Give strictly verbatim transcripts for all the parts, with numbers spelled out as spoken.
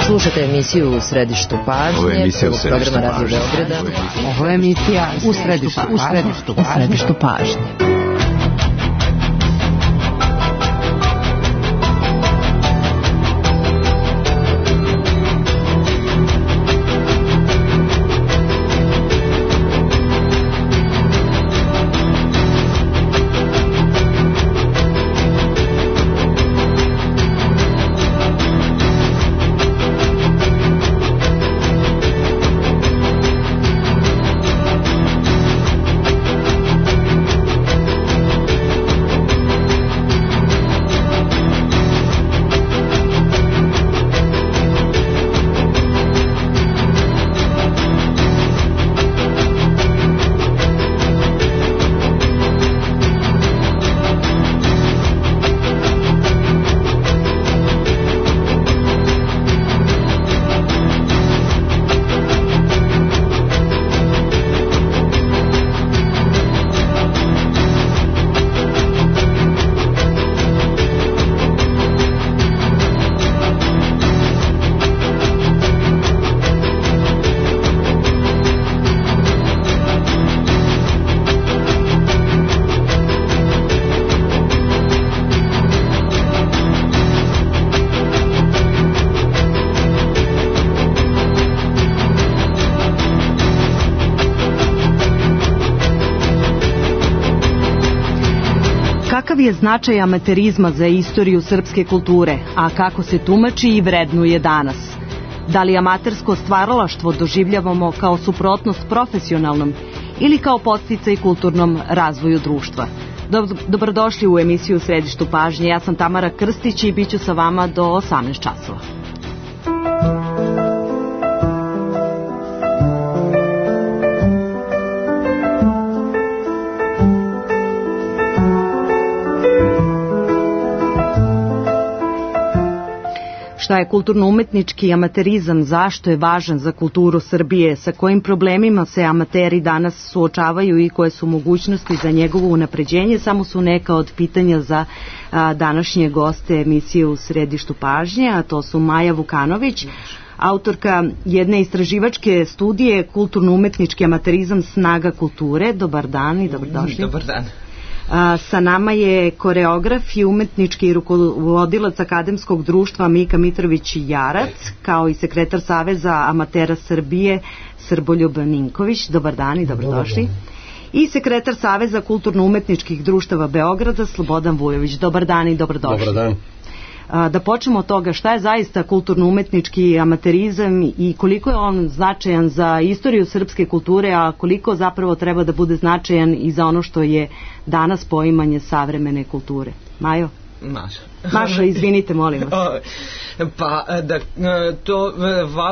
Slušate emisiju U središtu pažnje. Ovo je emisija U središtu programa Radio pažnje. Beograda. Ovo je emisija U središtu, u središtu, u središtu pažnje. Kakav je značaj amaterizma za istoriju srpske kulture, a kako se tumači i vrednuje danas? Da li amatersko stvaralaštvo doživljavamo kao suprotnost profesionalnom ili kao podsticaj kulturnom razvoju društva? Dobrodošli u emisiju U središtu pažnje. Ja sam Tamara Krstić i bit ću sa vama do osamnaest časova. Šta je kulturno-umetnički amaterizam, zašto je važan za kulturu Srbije, sa kojim problemima se amateri danas suočavaju i koje su mogućnosti za njegovo unapređenje, samo su neka od pitanja za a, današnje goste emisije U središtu pažnje, a to su Maja Vukanović, autorka jedne istraživačke studije Kulturno-umetnički amaterizam, snaga kulture. Dobar dan i dobrodošli. Dobar dan. A, sa nama je koreograf i umetnički rukovodilac Akademskog društva Mika Mitrović-Jarac, kao i sekretar Saveza amatera Srbije Srboljub Ninković. Dobar dan i dobrodošli. Dobar dan. I sekretar Saveza kulturno-umetničkih društava Beograda Slobodan Vujović. Dobar dan i dobrodošli. Dobar dan. Da počnemo od toga šta je zaista kulturno-umetnički amaterizam i koliko je on značajan za istoriju srpske kulture, a koliko zapravo treba da bude značajan i za ono što je danas poimanje savremene kulture. Majo? Maša. Maša, izvinite, molim vas. Pa, da, to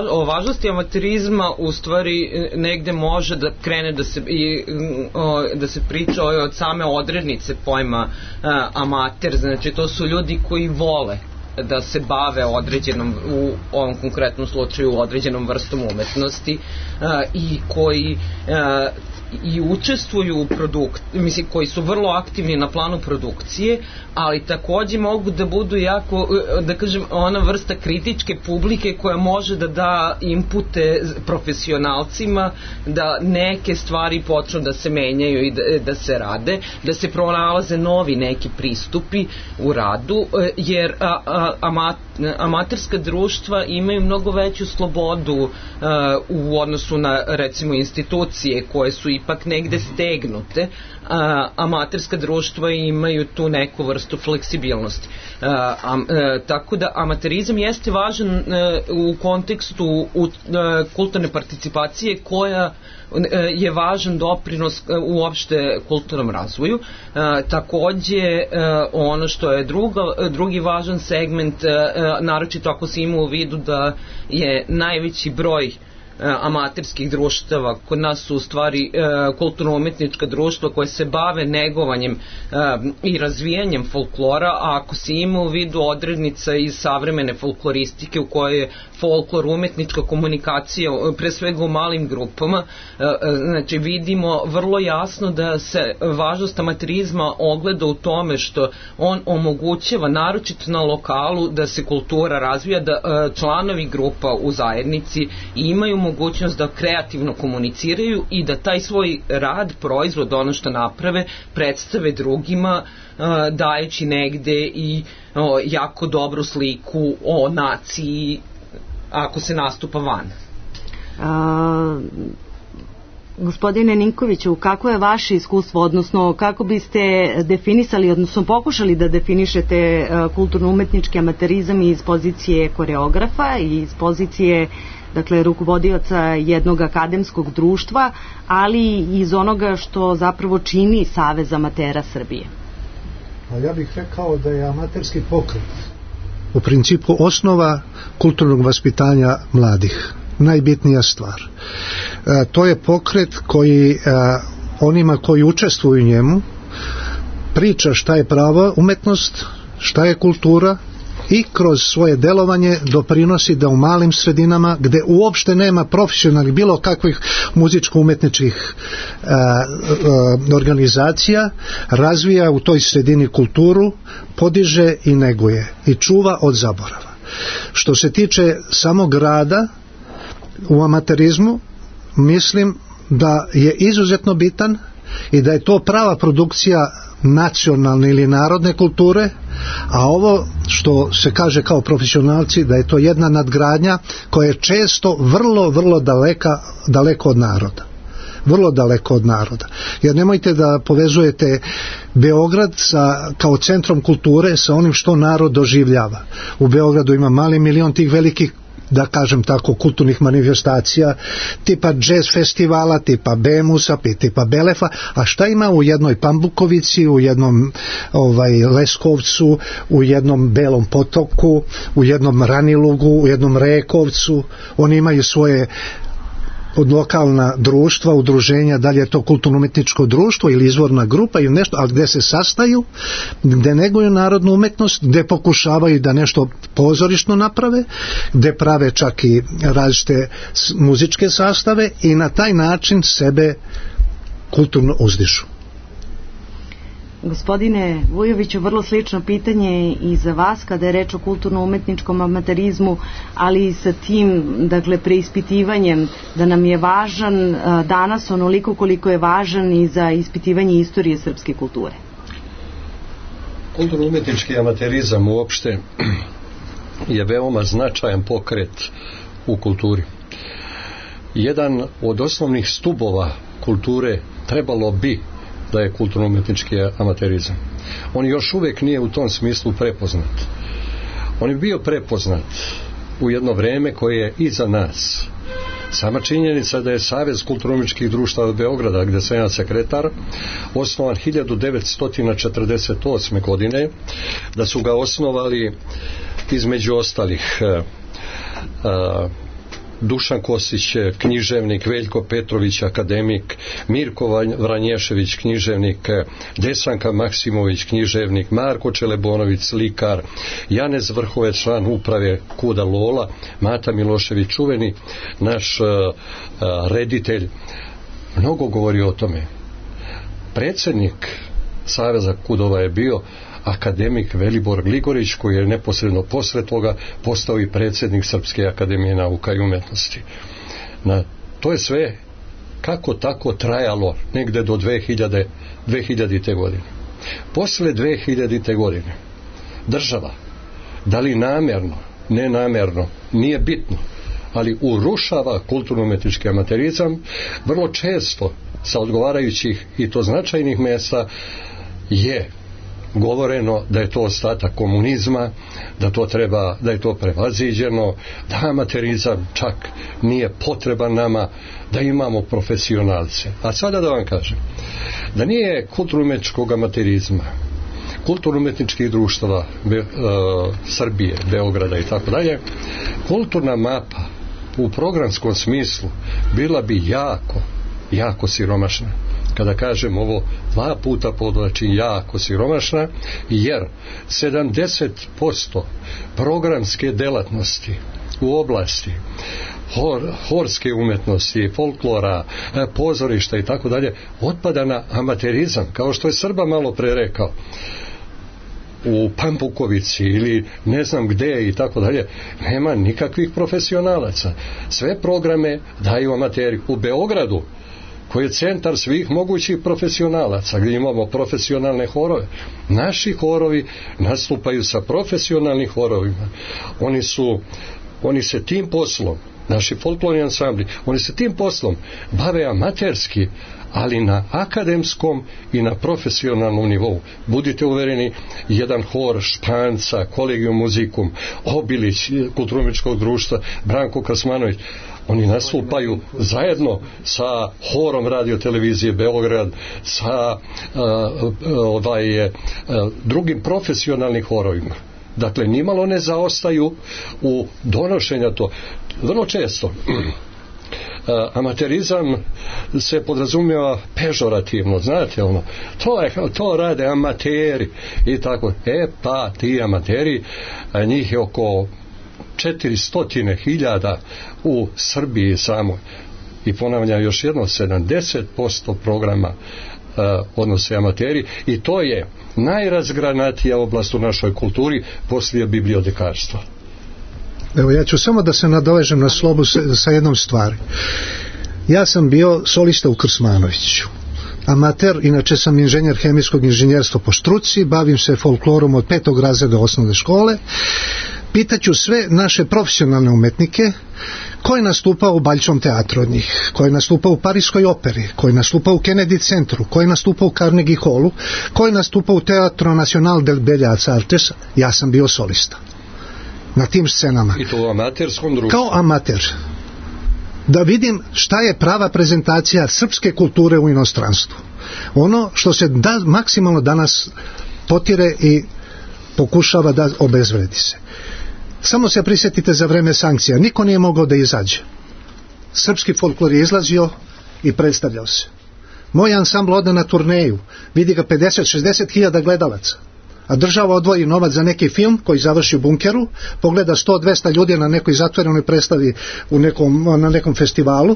o važnosti amaterizma u stvari negde može da krene da se, i, da se priča od same odrednice pojma amater, znači to su ljudi koji vole da se bave određenom, u ovom konkretnom slučaju određenom vrstom umetnosti i koji i učestvuju u produkt, mislim, koji su vrlo aktivni na planu produkcije, ali takođe mogu da budu jako, da kažem, ona vrsta kritičke publike koja može da da inpute profesionalcima da neke stvari počnu da se menjaju i da, da se rade, da se pronalaze novi neki pristupi u radu, jer a, a, amat, amaterska društva imaju mnogo veću slobodu a, u odnosu na, recimo, institucije koje su ipak negde stegnute. A, amaterska društva imaju tu neku vrstu fleksibilnosti. A, a, a, tako da amaterizam jeste važan a, u kontekstu u, a, kulturne participacije koja je važan doprinos uopšte kulturnom razvoju. A, takođe a, ono što je druga, drugi važan segment, a, naročito ako se ima u vidu da je najveći broj amaterskih društava. Kod nas su u stvari kulturno-umetnička društva koje se bave negovanjem i razvijanjem folklora, a ako se ima u vidu odrednica iz savremene folkloristike u kojoj je folklor umetnička komunikacija, pre svega u malim grupama, znači vidimo vrlo jasno da se važnost amaterizma ogleda u tome što on omogućava, naročito na lokalu, da se kultura razvija, da članovi grupa u zajednici imaju mogućnost da kreativno komuniciraju i da taj svoj rad, proizvod, ono što naprave, predstave drugima, dajući negde i jako dobru sliku o naciji ako se nastupa van. A, gospodine Ninkoviću, kako je vaše iskustvo, odnosno kako biste definisali, odnosno pokušali da definišete kulturno-umetnički amaterizam iz pozicije koreografa i iz pozicije, dakle, rukovodioca jednog akademskog društva, ali iz onoga što zapravo čini Savez amatera Srbije? A ja bih rekao da je amaterski pokret u principu osnova kulturnog vaspitanja mladih. Najbitnija stvar. E, to je pokret koji e, onima koji učestvuju u njemu priča šta je prava umetnost, šta je kultura i kroz svoje delovanje doprinosi da u malim sredinama gde uopšte nema profesionalnih bilo kakvih muzičko-umetničkih e, e, organizacija razvija u toj sredini kulturu, podiže i neguje i čuva od zaborava. Što se tiče samog rada u amaterizmu, mislim da je izuzetno bitan i da je to prava produkcija nacionalne ili narodne kulture, a ovo što se kaže kao profesionalci da je to jedna nadgradnja koja je često vrlo, vrlo daleka, daleko od naroda. Vrlo daleko od naroda. Jer nemojte da povezujete Beograd sa, kao centrom kulture sa onim što narod doživljava. U Beogradu ima mali milion tih velikih, da kažem tako, kulturnih manifestacija, tipa jazz festivala, tipa Bemusa, tipa Belefa, a šta ima u jednoj Pambukovici, u jednom ovaj, Leskovcu, u jednom Belom Potoku, u jednom Ranilugu, u jednom Rekovcu? Oni imaju svoje od lokalna društva, udruženja, da li je to kulturno-umetničko društvo ili izvorna grupa ili nešto, ali gde se sastaju, gde neguju narodnu umetnost, gde pokušavaju da nešto pozorišno naprave, gde prave čak i različite muzičke sastave i na taj način sebe kulturno uzdižu. Gospodine Vujoviću, vrlo slično pitanje i za vas kada je reč o kulturno-umetničkom amaterizmu, ali i sa tim, dakle, preispitivanjem da nam je važan danas onoliko koliko je važan i za ispitivanje istorije srpske kulture. Kulturno-umetnički amaterizam uopšte je veoma značajan pokret u kulturi. Jedan od osnovnih stubova kulture trebalo bi da je kulturno-umetnički amaterizam. On još uvijek nije u tom smislu prepoznat. On je bio prepoznat u jedno vreme koje je iza nas. Sama činjenica da je Savez kulturno-umetničkih društava Beograda, gde sam ja sekretar, osnovan hiljadu devetsto četrdeset osme. godine, da su ga osnovali između ostalih a, Dušan Kosić, književnik, Veljko Petrović, akademik, Mirko Vranješević, književnik, Desanka Maksimović, književnik, Marko Čelebonović, slikar, Janez Vrhovec, član uprave Kuda Lola, Mata Milošević, čuveni naš uh, uh, reditelj, mnogo govori o tome. Predsjednik Saveza Kudova je bio akademik Velibor Gligorić, koji je neposredno posle toga postao i predsjednik Srpske akademije nauka i umetnosti. Na, to je sve kako tako trajalo negde do dve hiljadite. godine. Posle dve hiljadite. godine država, da li namjerno, nenamjerno, nije bitno, ali urušava kulturno-umetnički amaterizam vrlo često sa odgovarajućih i to značajnih mjesta je govoreno da je to ostatak komunizma, da to treba, da je to prevaziđeno, da amaterizam čak nije potreban nama, da imamo profesionalce. A sada da vam kažem, da nije kulturno-umetničkog amaterizma, kulturno-umetničkih društava Be, uh, Srbije, Beograda i tako dalje, kulturna mapa u programskom smislu bila bi jako, jako siromašna. Kada kažem ovo, dva puta podvlačim, jako siromašna, jer sedamdeset posto programske delatnosti u oblasti hor, horske umetnosti, folklora, pozorišta i tako dalje, otpada na amaterizam, kao što je Srba malo pre rekao. U Pampukovici ili ne znam gde i tako dalje, nema nikakvih profesionalaca. Sve programe daju amateri. U Beogradu, koji je centar svih mogućih profesionalaca, gdje imamo profesionalne horove, naši horovi nastupaju sa profesionalnim horovima. Oni su, oni se tim poslom, naši folklorni ansambli, oni se tim poslom bave amaterski, ali na akademskom i na profesionalnom nivou. Budite uvereni, jedan hor Španca, Kolegium Muzikum, Obilić, Kulturno-umetničkog društva, Branko Krasmanović, oni nastupaju zajedno sa horom radio televizije Beograd, sa uh, ovaj, uh, drugim profesionalnim horovima. Dakle, nimalo ne zaostaju u donošenja to. Vrlo često amaterizam se podrazumijeva pežorativno, znate ono, to, je, to rade amateri i tako. E pa ti amateri, njih je oko četiristo hiljada u Srbiji samo, i ponavljam još jedno, sedamdeset posto programa uh, odnose amateri, i to je najrazgranatija oblast u našoj kulturi poslije bibliotekarstva. Evo, ja ću samo da se nadovežem na Slobu sa, sa jednom stvari. Ja sam bio solista u Krsmanoviću, amater, inače sam inženjer hemijskog inženjerstva po struci, bavim se folklorom od petog razreda osnovne škole. Pitaću sve naše profesionalne umetnike ko je nastupao u Baljčom teatru od njih, ko je nastupao u Parijskoj operi, ko je nastupao u Kennedy centru, ko je nastupao u Carnegie hallu, ko je nastupao u Teatro Nacional del Bellas Artes. Ja sam bio solista na tim scenama. I to u amaterskom društvu. Kao amater. Da vidim šta je prava prezentacija srpske kulture u inostranstvu. Ono što se da, maksimalno danas potire i pokušava da obezvredi se. Samo se prisjetite za vreme sankcija. Niko nije mogao da izađe. Srpski folklor je izlazio i predstavljao se. Moj ansambl ode na turneju. Vidi ga pedeset šezdeset hiljada gledalaca. A država odvoji novac za neki film koji završi u bunkeru, pogleda sto dvesta ljudi na nekoj zatvorenoj predstavi u nekom, na nekom festivalu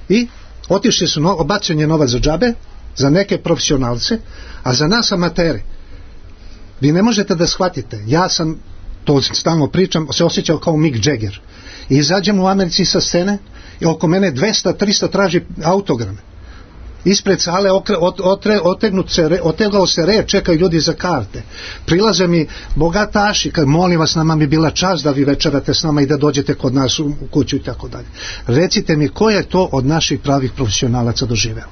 i otišli su, no, obačen je novac za džabe, za neke profesionalce, a za nas amatere. Vi ne možete da shvatite. Ja sam, to stalno pričam, se osjećao kao Mick Jagger. I izađem u Americi sa scene i oko mene dvesta trista traži autograme. Ispred sale okre, ot, otre, otegnut se, otegao se red, čekaju ljudi za karte. Prilaze mi bogataši, kad molim vas, nama bi bila čast da vi večerate s nama i da dođete kod nas u kuću i tako dalje. Recite mi, ko je to od naših pravih profesionalaca doživeo?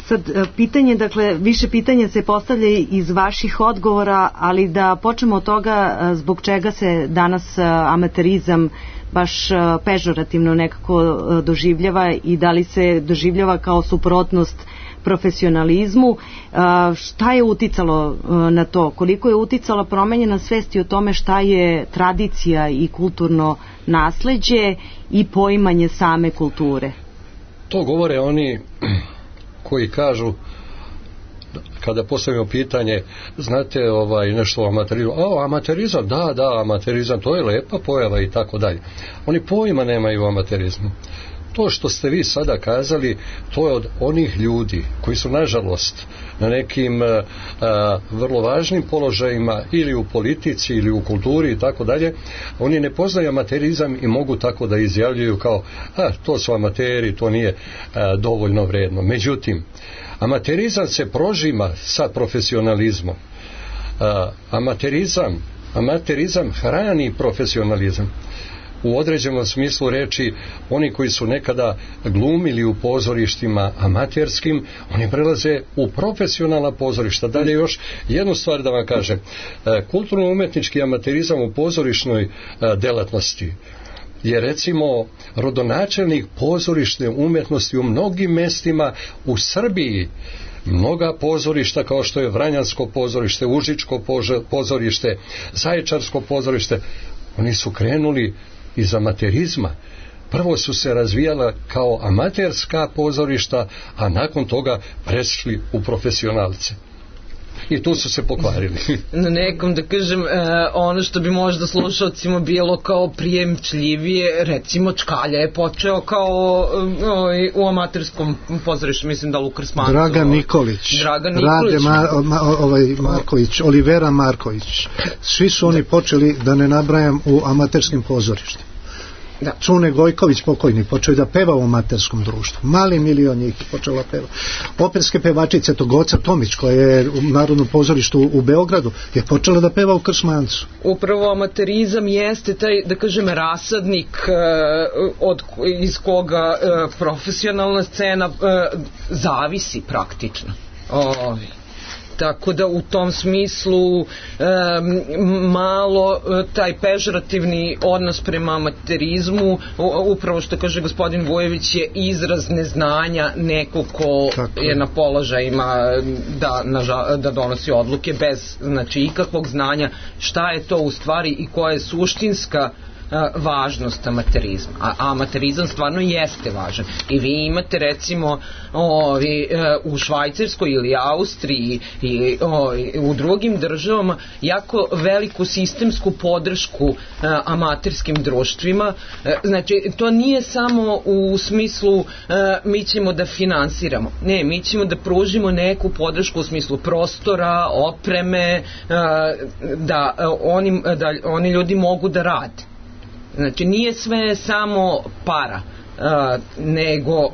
Sad, pitanje, dakle, više pitanja se postavlja iz vaših odgovora, ali da počnemo od toga zbog čega se danas amaterizam baš pežorativno nekako doživljava i da li se doživljava kao suprotnost profesionalizmu. Šta je uticalo na to? Koliko je uticala promenjena svest o tome šta je tradicija i kulturno nasleđe i poimanje same kulture? To govore oni koji kažu, kada postavimo pitanje, znate ovaj nešto o amaterizmu, a amaterizam, da, da, amaterizam, to je lepa pojava i tako dalje. Oni pojma nemaju o amaterizmu. To što ste vi sada kazali, to je od onih ljudi koji su nažalost na nekim a, a, vrlo važnim položajima ili u politici ili u kulturi i tako dalje. Oni ne poznaju amaterizam i mogu tako da izjavljuju kao, a to su amateri, to nije a, dovoljno vredno. Međutim, amaterizam se prožima sa profesionalizmom. A, amaterizam, amaterizam hrani profesionalizam. U određenom smislu reči, oni koji su nekada glumili u pozorištima amaterskim, oni prelaze u profesionalna pozorišta. Dalje još jednu stvar da vam kažem. Kulturno-umetnički amaterizam u pozorišnoj delatnosti je recimo rodonačelnik pozorišne umetnosti u mnogim mestima u Srbiji. Mnoga pozorišta kao što je Vranjansko pozorište, Užičko pozorište, Zaječarsko pozorište, Oni su krenuli iz amaterizma. Prvo su se razvijala kao amaterska pozorišta, a nakon toga prešli u profesionalce. I tu su se pokvarili. Na nekom, da kažem, e, ono što bi možda slušalcima bilo kao prijemčljivije, recimo Čkalja je počeo kao e, u amaterskom pozorištu, mislim da Lukas Manco. Dragan Nikolić, Dragan Nikolić. Rade Ma, Ma, ovaj Marković, Olivera Marković. Svi su oni počeli, da ne nabrajam, u amaterskim pozorištima. Da. Cune Gojković pokojni počeo da peva u amaterskom društvu, mali milion njih počela peva. Operske pevačice, to Goca Tomić koja je u Narodnom pozorištu u Beogradu, je počela da peva u Krsmancu. Upravo amaterizam jeste taj, da kažem, rasadnik uh, od, iz koga uh, profesionalna scena uh, zavisi praktično. Oh. Tako da u tom smislu um, malo taj pežorativni odnos prema amaterizmu, upravo što kaže gospodin Vujević, je izraz neznanja nekog ko Tako. je na položajima da, na, da donosi odluke bez, znači, ikakvog znanja šta je to u stvari i koja je suštinska važnost amaterizma. A amaterizam stvarno jeste važan. I vi imate recimo ovi, u Švajcarskoj ili Austriji i ovi, u drugim državama jako veliku sistemsku podršku amaterskim društvima. Znači, to nije samo u smislu mi ćemo da finansiramo. Ne, mi ćemo da pružimo neku podršku u smislu prostora, opreme, da oni, da oni ljudi mogu da rade. Znači, nije sve samo para, uh, nego uh,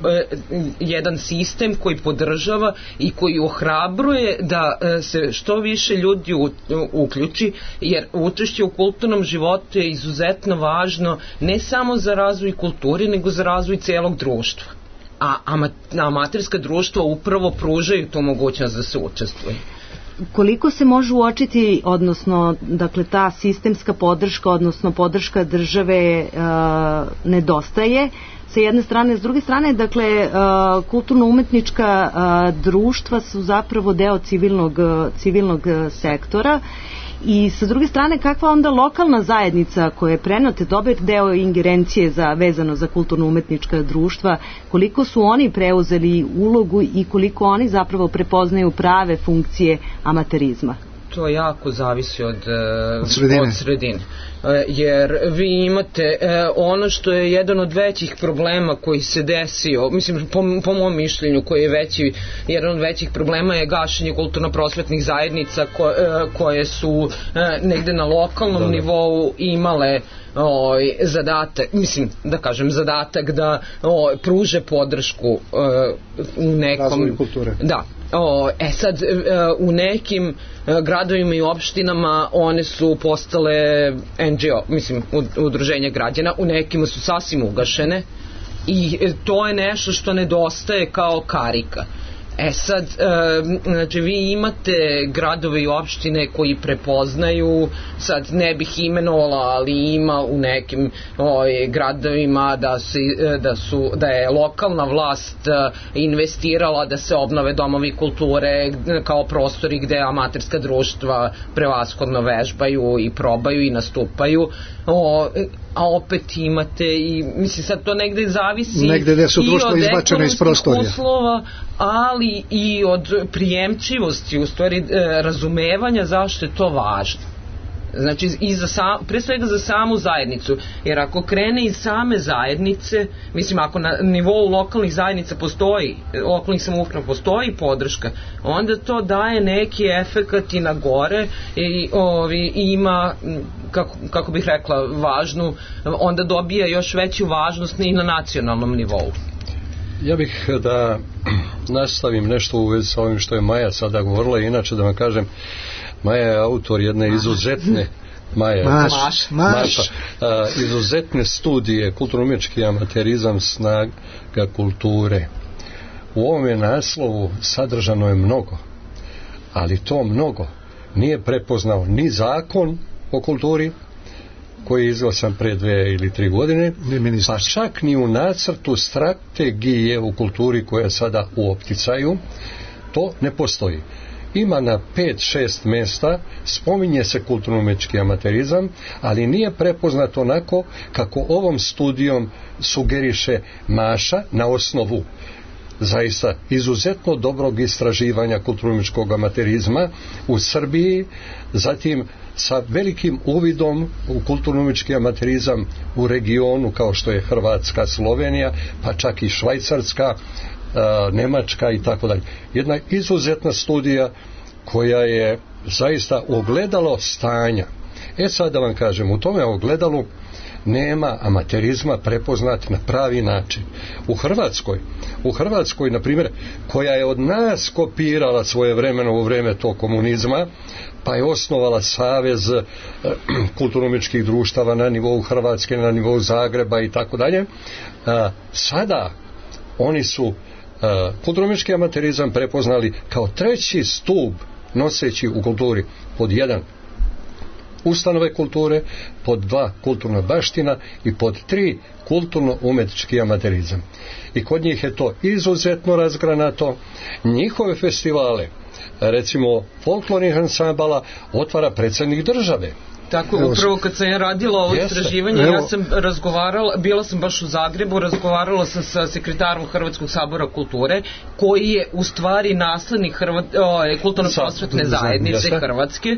jedan sistem koji podržava i koji ohrabruje da uh, se što više ljudi u, u, uključi, jer učešće u kulturnom životu je izuzetno važno ne samo za razvoj kulture, nego za razvoj celog društva. A ama, amaterska društva upravo pružaju tu mogućnost da se učestvuje. Koliko se može uočiti, odnosno, dakle, ta sistemska podrška, odnosno podrška države uh, nedostaje sa jedne strane, s druge strane, dakle, uh, kulturno-umetnička uh, društva su zapravo deo civilnog, civilnog sektora. I sa druge strane, kakva onda lokalna zajednica koja je prenate dobar deo ingerencije za, vezano za kulturno-umetnička društva, koliko su oni preuzeli ulogu i koliko oni zapravo prepoznaju prave funkcije amaterizma? To jako zavisi od, od sredine. Od sredine. Jer vi imate ono što je jedan od većih problema koji se desio, mislim po, po mom mišljenju koji je veći, jedan od većih problema je gašenje kulturno-prosvetnih zajednica ko, koje su negde na lokalnom Dobre. nivou imale o, zadatak, mislim da kažem zadatak da o, pruže podršku o, u nekom razvoju kulture. Da. O, e sad, u nekim gradovima i opštinama one su postale en dži o, mislim, udruženja građana, u nekima su sasvim ugašene i to je nešto što nedostaje kao karika. E sad, znači vi imate gradove i opštine koji prepoznaju, sad ne bih imenovala, ali ima u nekim oj, gradovima da, si, da, su, da je lokalna vlast investirala da se obnove domovi kulture kao prostori gde amaterska društva prevashodno vežbaju i probaju i nastupaju. O, a opet imate i mislim sad to negde zavisi negde gde su društva izbačene iz prostorija uslova, ali i od prijemčivosti, u stvari razumevanja zašto je to važno. Znači, i za sam, pre svega za samu zajednicu, jer ako krene iz same zajednice, mislim, ako na nivou lokalnih zajednica postoji, lokalnih samouprava postoji podrška, onda to daje neki efekat i na gore i ovi, ima, kako, kako bih rekla, važnu, onda dobija još veću važnost i na nacionalnom nivou. Ja bih da nastavim nešto u vezi sa ovim što je Maja sada govorila, inače da vam kažem, Maja je autor jedne izuzetne Maja, Maš, Maš. Maša, a, izuzetne studije kulturno-umetnički amaterizam, snaga kulture. U ovome naslovu sadržano je mnogo, ali to mnogo nije prepoznao ni zakon o kulturi koji je izglasan pre dve ili tri godine, pa čak ni u nacrtu strategije u kulturi koja je sada u opticaju, to ne postoji. ima na pet šest mjesta, spominje se kulturno-umjetnički amaterizam, ali nije prepoznat onako kako ovom studijom sugeriše Maša na osnovu zaista izuzetno dobrog istraživanja kulturno-umjetničkog amaterizma u Srbiji, zatim sa velikim uvidom u kulturno-umjetnički amaterizam u regionu kao što je Hrvatska, Slovenija, pa čak i Švajcarska, Nemačka i tako dalje. Jedna izuzetna studija koja je zaista ogledalo stanja. E sad da vam kažem, u tome ogledalu nema amaterizma prepoznat na pravi način. U Hrvatskoj, u Hrvatskoj, na primjer, koja je od nas kopirala svoje vremeno u vreme tog komunizma, pa je osnovala savez eh, kulturno-umjetničkih društava na nivou Hrvatske, na nivou Zagreba i tako dalje. Sada oni su uh, kulturno-umjetnički amaterizam prepoznali kao treći stup noseći u kulturi. Pod jedan, ustanove kulture, pod dva, kulturna baština i pod tri, kulturno-umjetnički amaterizam. I kod njih je to izuzetno razgranato. Njihove festivale, recimo folklornih ansambala, otvara predsjednik države. Tako, upravo kad sam ja radila ovo istraživanje, ja sam razgovarala, bila sam baš u Zagrebu, razgovarala sam sa sekretarom Hrvatskog sabora kulture, koji je u stvari naslednik Hrvat, kulturno-prosvetne zajednice Jeste. Hrvatske,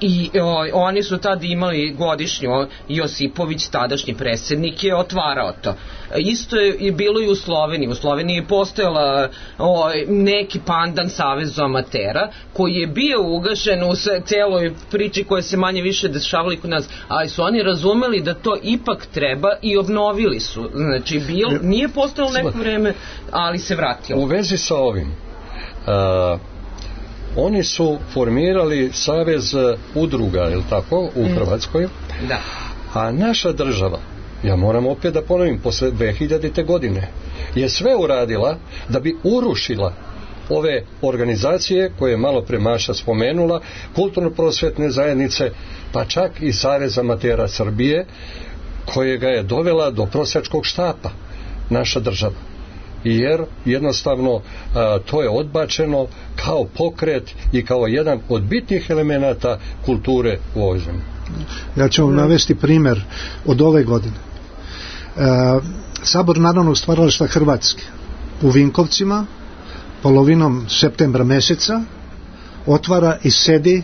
i o, oni su tad imali godišnju, Josipović, tadašnji predsjednik, je otvarao to. Isto je, je bilo i u Sloveniji. U Sloveniji je postojala o, neki pandan Savezu amatera, koji je bio ugašen u celoj priči koja se manje više dešavali kod nas, ali su oni razumeli da to ipak treba i obnovili su. Znači, bil, nije postojalo neko vreme, ali se vratilo. U vezi sa ovim, a, oni su formirali savez udruga, je li tako, u mm. Hrvatskoj? Da. A naša država, ja moram opet da ponovim, posle dve hiljadite godine, je sve uradila da bi urušila ove organizacije koje je malo pre Maša spomenula, kulturno-prosvetne zajednice, pa čak i Savez amatera Srbije, kojega je dovela do prosjačkog štapa naša država. Jer jednostavno a, to je odbačeno kao pokret i kao jedan od bitnih elemenata kulture u ovoj zemlji. Ja ću vam navesti primjer od ove godine. E, Sabor narodnog stvaralaštva Hrvatske u Vinkovcima polovinom septembra meseca otvara i sedi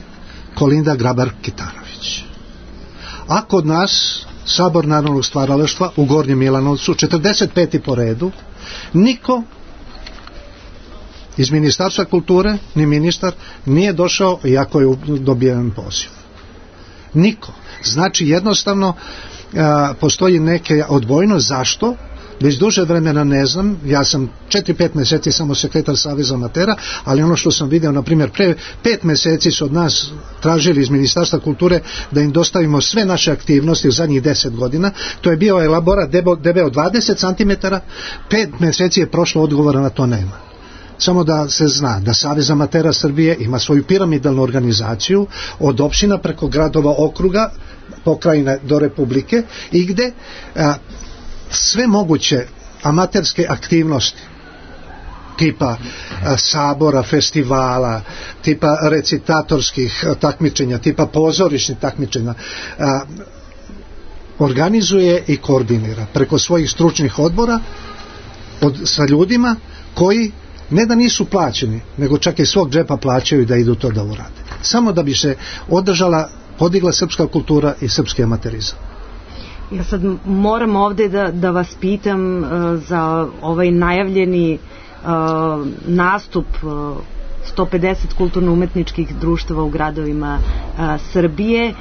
Kolinda Grabar-Kitarović. A kod nas Sabor narodnog stvaralaštva u Gornjem Milanovcu, četrdeset peti po redu, niko iz Ministarstva kulture, ni ministar, nije došao iako je dobijen poziv. Niko. Znači jednostavno a, postoji neke odbojnost. Zašto? Već duže vremena ne znam, ja sam četiri pet mjeseci samo sekretar Saveza amatera, ali ono što sam vidio, na primjer, pre pet mjeseci su od nas tražili iz Ministarstva kulture da im dostavimo sve naše aktivnosti u zadnjih deset godina. To je bio elaborat debeo dvadeset centimetara, pet mjeseci je prošlo, odgovora na to nema. Samo da se zna da Savez amatera Srbije ima svoju piramidalnu organizaciju od opština preko gradova, okruga, pokrajine do republike, i gde a, sve moguće amaterske aktivnosti tipa a, sabora, festivala, tipa recitatorskih a, takmičenja, tipa pozorišnih takmičenja, a, organizuje i koordinira preko svojih stručnih odbora od, sa ljudima koji ne da nisu plaćeni, nego čak i svog džepa plaćaju da idu to da urade. Samo da bi se održala, podigla srpska kultura i srpski amaterizam. Ja sad moram ovdje da, da vas pitam uh, za ovaj najavljeni uh, nastup uh, sto pedeset kulturno-umetničkih društava u gradovima uh, Srbije uh,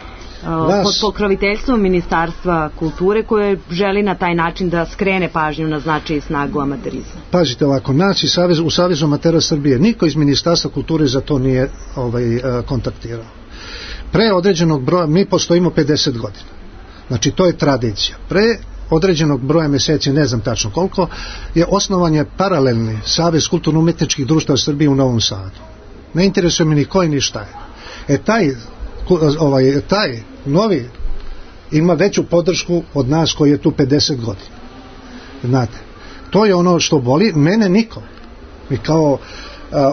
pod pokroviteljstvom Ministarstva kulture, koje želi na taj način da skrene pažnju na značaj i snagu amaterizma. Pazite ovako, nas i Savez, u Savezu amatera Srbije niko iz Ministarstva kulture za to nije ovaj, uh, kontaktirao. Pre određenog broja, mi postojimo pedeset godina. Znači to je tradicija. Pre određenog broja mjeseci, ne znam tačno koliko, je osnovan je paralelni Savez kulturno-umetničkih društava Srbije u Novom Sadu. Ne interesuje mi ni koji ni šta je. E taj, ovaj, taj novi ima veću podršku od nas koji je tu pedeset godina. Znate, to je ono što boli. Mene niko. Mi kao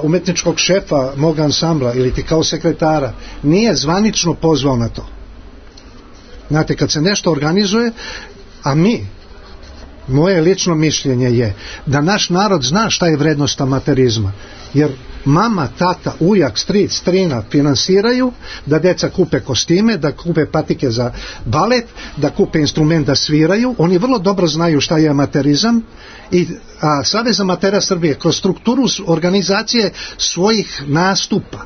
umetničkog šefa mog ansambla ili ti kao sekretara nije zvanično pozvao na to. Znate, kad se nešto organizuje, a mi, moje lično mišljenje je da naš narod zna šta je vrednost amaterizma, jer mama, tata, ujak, stric, strina finansiraju da deca kupe kostime, da kupe patike za balet, da kupe instrument da sviraju. Oni vrlo dobro znaju šta je amaterizam i a, Savez amatera Srbije kroz strukturu organizacije svojih nastupa,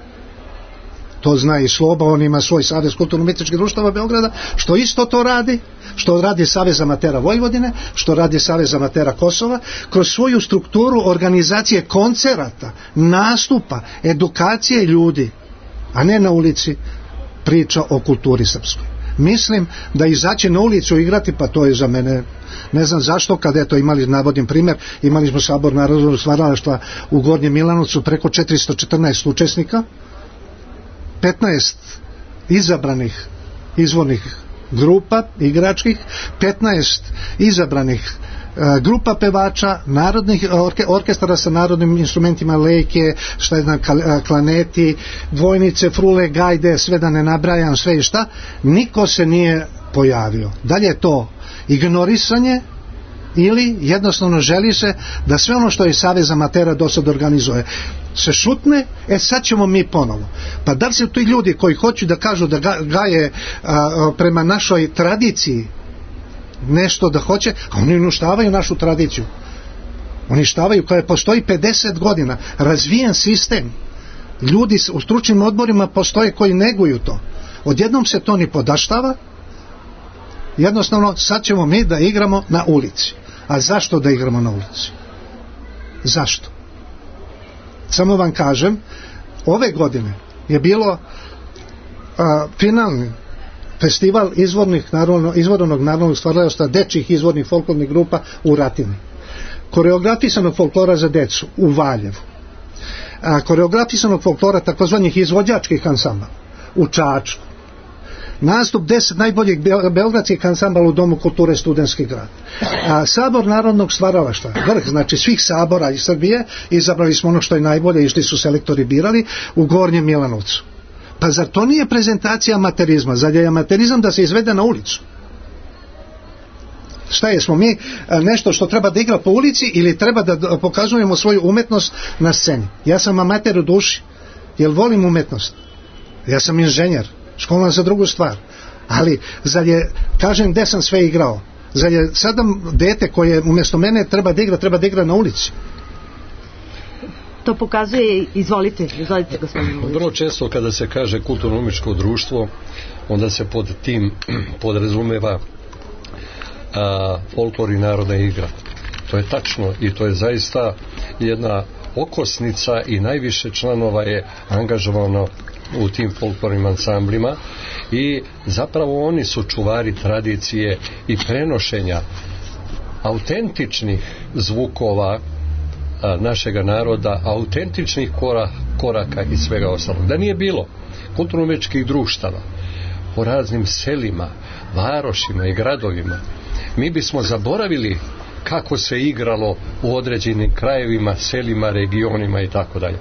to zna i Sloba, on ima svoj Savez kulturno-umetničkih društava Beograda, što isto to radi, što radi Savez amatera Vojvodine, što radi Savez amatera Kosova, kroz svoju strukturu organizacije koncerata, nastupa, edukacije ljudi, a ne na ulici priča o kulturi srpskoj. Mislim da izaći na ulicu igrati, pa to je za mene, ne znam zašto, kada eto imali, navodim primjer, imali smo Sabor narodnog stvaralaštva u Gornjem Milanovcu, preko četiristo četrnaest učesnika, petnaest izabranih izvornih grupa igračkih, petnaest izabranih e, grupa pevača, narodnih orke, orkestara sa narodnim instrumentima, lejke, šta je znam, klaneti, dvojnice, frule, gajde, sve da ne nabrajam, sve i šta, niko se nije pojavio. Dalje je to ignorisanje ili jednostavno želi se da sve ono što je Savez amatera do sad organizuje se šutne, e sad ćemo mi ponovo. Pa da li su ti ljudi koji hoću da kažu da gaje a, prema našoj tradiciji nešto da hoće, a oni uništavaju našu tradiciju. Uništavaju, koja postoji pedeset godina, razvijen sistem. Ljudi u stručnim odborima postoje koji neguju to. Odjednom se to ni podaštava. Jednostavno, sad ćemo mi da igramo na ulici. A zašto da igramo na ulici? Zašto? Samo vam kažem, ove godine je bilo a, finalni festival izvornih narodno, izvornog narodnog stvaralaštva dečjih izvornih folklornih grupa u Ratini. Koreografisanog folklora za decu u Valjevu. A, koreografisanog folklora takozvanih izvođačkih ansambala u Čačku. Nastup deset najboljih beogradskih ansambala u Domu kulture Studentski grad. A, Sabor narodnog stvaralaštva, vrh, znači svih sabora iz Srbije, izabrali smo ono što je najbolje, išli su selektori, birali u Gornjem Milanovcu. Pa zar to nije prezentacija amaterizma? Zar je amaterizam da se izvede na ulicu? Šta je, smo mi nešto što treba da igra po ulici ili treba da pokazujemo svoju umetnost na sceni? Ja sam amater u duši, jer volim umetnost. Ja sam inženjer, školan za drugu stvar. Ali, zar je, kažem, gde sam sve igrao? Zar je sada dete koje umjesto mene treba da igra, treba da igra na ulici? To pokazuje, izvolite, izvolite gospodine. Vrlo često kada se kaže kulturno-umetničko društvo, onda se pod tim podrazumeva a, folklor i narodna igra. To je tačno i to je zaista jedna okosnica i najviše članova je angažovano u tim folklornim ansamblima i zapravo oni su čuvari tradicije i prenošenja autentičnih zvukova a, našega naroda, autentičnih kora, koraka i svega ostalog. Da nije bilo kulturno-umetničkih društava po raznim selima, varošima i gradovima, mi bismo zaboravili kako se igralo u određenim krajevima, selima, regionima i tako dalje.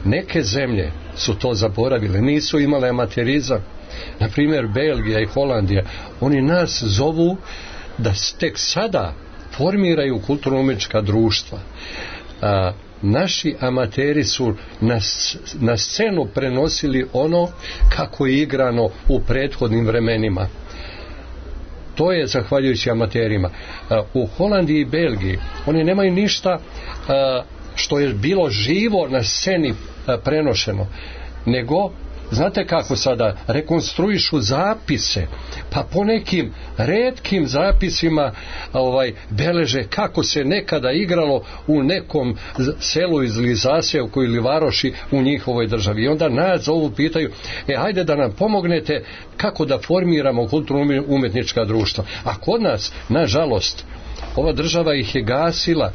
Neke zemlje su to zaboravile, nisu imale amaterizam. Na primjer Belgija i Holandija, oni nas zovu da tek sada formiraju kulturno-umetnička društva. A, naši amateri su na, na scenu prenosili ono kako je igrano u prethodnim vremenima. To je zahvaljujući amaterima. A, u Holandiji i Belgiji oni nemaju ništa a, što je bilo živo na sceni a, prenošeno, nego znate kako sada rekonstruišu zapise, pa po nekim retkim zapisima ovaj, beleže kako se nekada igralo u nekom selu iz Zasjevku ili Varoši u njihovoj državi. I onda nas zovu, pitaju, e hajde da nam pomognete kako da formiramo kulturno-umetnička društva. A kod nas, nažalost, ova država ih je gasila.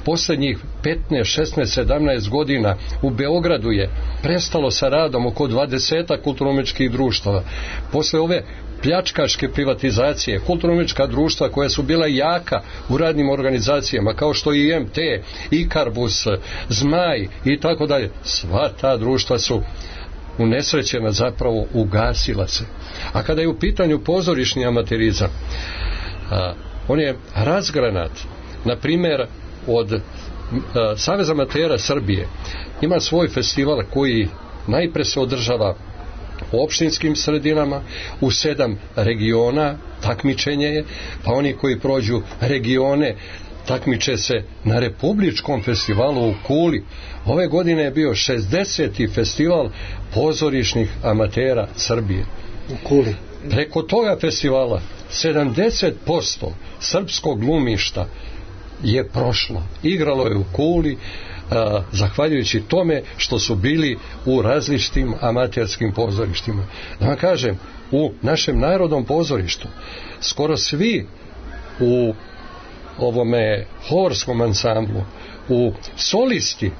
Posljednjih petnaest, šesnaest, sedamnaest godina u Beogradu je prestalo sa radom oko dvadeset kulturno-umetničkih društava. Posle ove pljačkaške privatizacije, kulturno-umjetnička društva koja su bila jaka u radnim organizacijama, kao što i M T, Ikarbus, Zmaj i tako dalje, sva ta društva su unesrećena, zapravo ugasila se. A kada je u pitanju pozorišni amaterizam, a, on je razgranat. Na primjer, od a, Saveza amatera Srbije ima svoj festival koji najpre se održava u opštinskim sredinama, u sedam regiona takmičenje je, pa oni koji prođu regione takmiče se na republičkom festivalu u Kuli. Ove godine je bio šezdeseti festival pozorišnih amatera Srbije. U Kuli. Preko toga festivala sedamdeset posto srpskog glumišta je prošlo. Igralo je u Kuli, a, zahvaljujući tome što su bili u različitim amaterskim pozorištima. Da vam kažem, u našem narodnom pozorištu skoro svi u ovome horskom ansamblu, u solisti,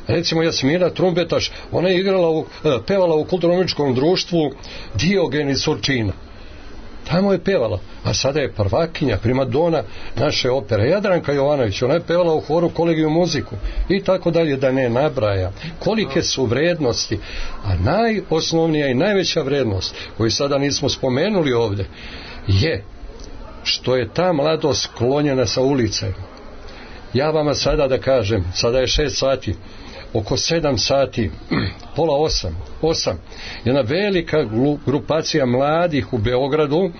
recimo Jasmina Trumbetaš, ona je igrala u, pevala u kulturno-umjetničkom društvu Diogeni Surčina. Tamo je pevala, a sada je prvakinja, primadona naše opere. Jadranka Jovanović, ona je pevala u horu Kolegijum muziku i tako dalje, da ne nabraja. Kolike su vrednosti, a najosnovnija i najveća vrednost, koju sada nismo spomenuli ovdje, je što je ta mladost sklonjena sa ulice. Ja vama sada da kažem, sada je šest sati, oko sedam sati, pola osam, osam, jedna velika grupacija mladih u Beogradu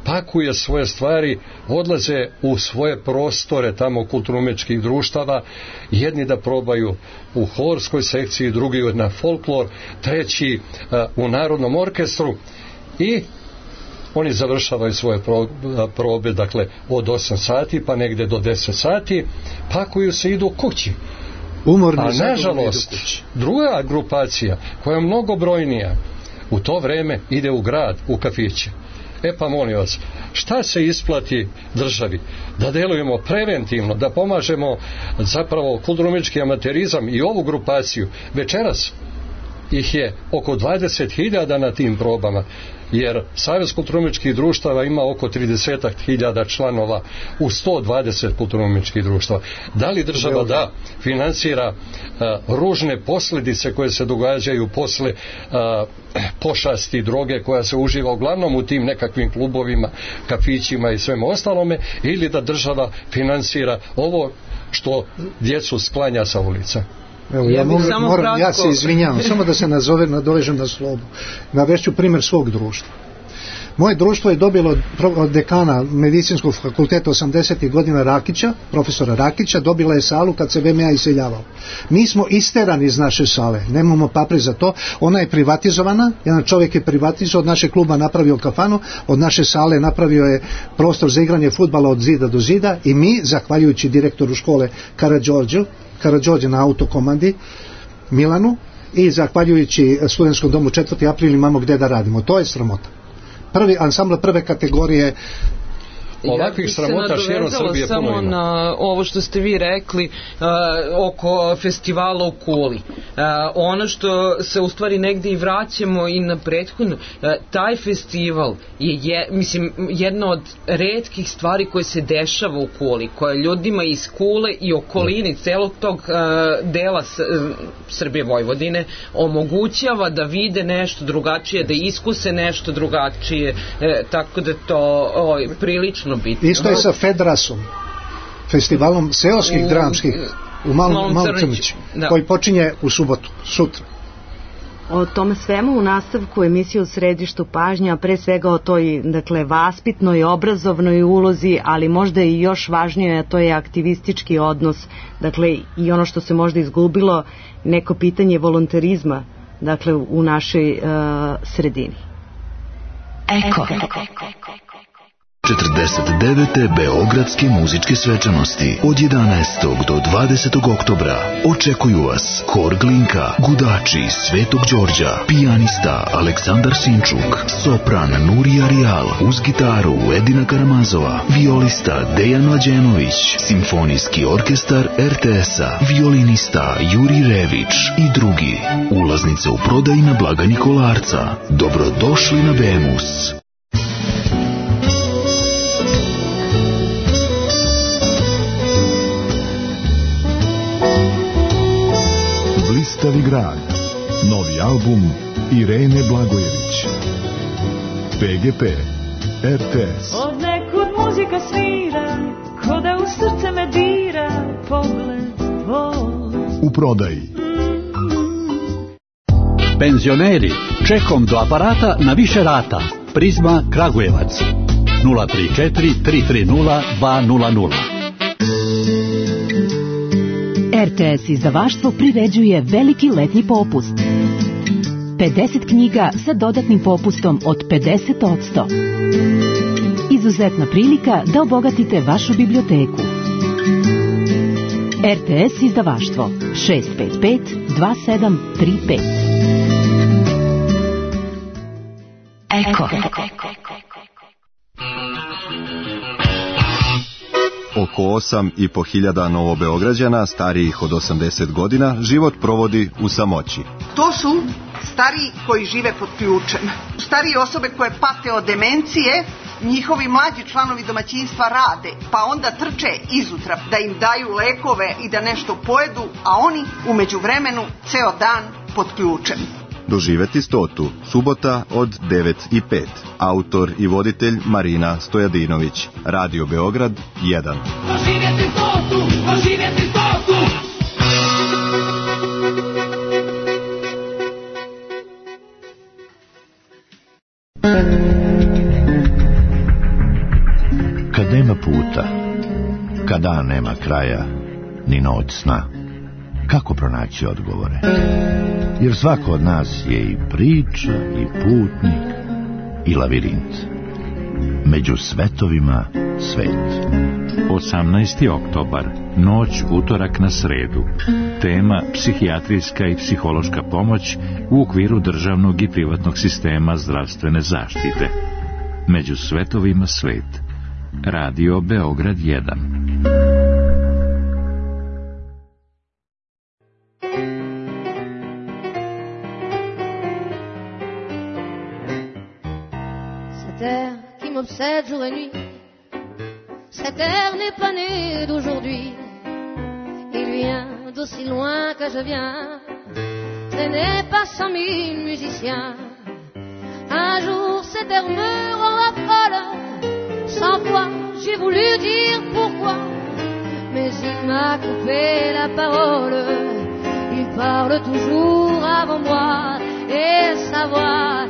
pakuje svoje stvari, odlaze u svoje prostore tamo kulturno-umjetničkih društava, jedni da probaju u horskoj sekciji, drugi na folklor, treći uh, u narodnom orkestru i oni završavaju svoje probe, dakle od osam sati pa negde do deset sati, pakuju se, idu kući. Umorni, a nažalost druga grupacija koja je mnogo brojnija u to vreme ide u grad, u kafiće. E pa molim vas, šta se isplati državi? Da delujemo preventivno, da pomažemo zapravo kulturno-umjetnički amaterizam i ovu grupaciju. Večeras ih je oko dvadeset hiljada na tim probama, jer Savez kulturno-umjetničkih društava ima oko trideset hiljada članova u sto dvadeset kulturno-umjetničkih društava. Da li država da finansira uh, ružne posljedice koje se događaju posle uh, pošasti droge koja se uživa uglavnom u tim nekakvim klubovima, kafićima i svemu ostalome, ili da država finansira ovo što djecu sklanja sa ulica? Evo, ja, ja, mogu, moram, ja se izvinjavam, samo da se nazove, nadovežem na slobu. Navešću primjer svog društva. Moje društvo je dobilo od dekana medicinskog fakulteta osamdesetih godina Rakića, profesora Rakića, dobila je salu kad se V M A iseljavao. Mi smo isterani iz naše sale, nemamo papri za to, ona je privatizovana, jedan čovjek je privatizovao, od našeg kluba napravio kafanu, od naše sale napravio je prostor za igranje fudbala od zida do zida i mi, zahvaljujući direktoru škole Karađorđu, Karađorđe na autokomandi Milanu i zahvaljujući studentskom domu četvrti april imamo gdje da radimo. To je sramota. Prvi ansambl prve kategorije. Ovakvih sramota širom Srbije puno ima. Samo na ovo što ste vi rekli uh, oko festivala u Kuli. Uh, ono što se u stvari negdje i vraćamo i na prethodno, uh, taj festival je, je mislim, jedna od retkih stvari koje se dešava u Kuli, koja ljudima iz Kule i okolini celog tog uh, dela S, uh, Srbije Vojvodine omogućava da vide nešto drugačije, da iskuse nešto drugačije, uh, tako da to oj, prilično bitno. Isto je sa Fedrasom, festivalom seoskih u, dramskih u Malom, Malom, Malom Crniću, koji počinje u subotu, sutra. O tome svemu u nastavku emisije U središtu pažnje, a pre svega o toj, dakle, vaspitnoj, obrazovnoj ulozi, ali možda i još važnije, a to je aktivistički odnos, dakle, i ono što se možda izgubilo, neko pitanje volonterizma, dakle, u našoj uh, sredini. Eko. četrdeset devete Beogradske muzičke svečanosti od jedanaestog do dvadesetog oktobra očekuju vas Hor Glinka, Gudači Svetog Đorđa, pijanista Aleksandar Sinčuk, sopran Nurija Rijal, uz gitaru Edina Karamazova, violista Dejan Mlađenović, simfonijski orkestar R T S-a, violinista Juri Rević i drugi. Ulaznice u prodaji na blagajni Kolarca. Dobrodošli na Bemus. Blistavi grad. Novi album Irene Blagojević. P G P, R T S. Od nekud muzika svira, ko da u srce me dira, pogled tvoj. U prodaji. Penzioneri, čekom do aparata na više rata. Prizma Kragujevac. nula tri četiri tri tri nula dva nula nula. R T S izdavaštvo priređuje veliki letnji popust. pedeset knjiga sa dodatnim popustom od pedeset posto. Izuzetna prilika da obogatite vašu biblioteku. R T S izdavaštvo šest pet pet dva sedam tri pet. Eko. Oko osam i po hiljada Novobeograđana starijih od osamdeset godina život provodi u samoći. To su stariji koji žive pod ključem. Starije osobe koje pate od demencije, njihovi mlađi članovi domaćinstva rade, pa onda trče izutra da im daju lekove i da nešto pojedu, a oni u međuvremenu ceo dan pod ključem. Doživeti stotu, subota od devet i pet. Autor i voditelj Marina Stojadinović. Radio Beograd jedan. Doživjeti stotu, doživjeti stotu. Kad nema puta, kada nema kraja, ni noć sna, kako pronaći odgovore? Jer svako od nas je i priča, i putnik, i lavirint. Među svetovima svet. osamnaesti oktobar, noć utorak na sredu. Tema psihijatrijska i psihološka pomoć u okviru državnog i privatnog sistema zdravstvene zaštite. Među svetovima svet. Radio Beograd jedan. M'obsède jour et nuit. Cet air n'est pas né d'aujourd'hui. Il vient d'aussi loin que je viens, traîné par cent mille musiciens. Un jour cet air me rend folle. Cent fois j'ai voulu dire pourquoi, mais il m'a coupé la parole. Il parle toujours avant moi, et sa voix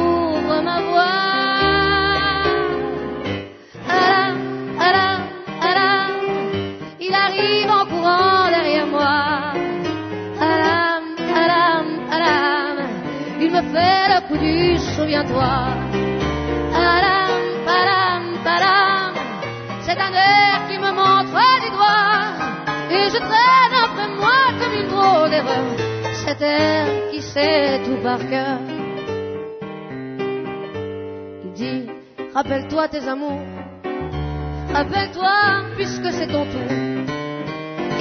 ouvre ma voix. Alam, alam, alam, il arrive en courant derrière moi. Alam, alam, alam, il me fait le coup du souviens-toi. Alam, alam, alam, c'est un air qui me montre du doigt, et je traîne après moi comme une drôle d'erreur cet air qui sait tout par cœur. Il dit, rappelle-toi tes amours. Rappelle-toi, puisque c'est ton tour,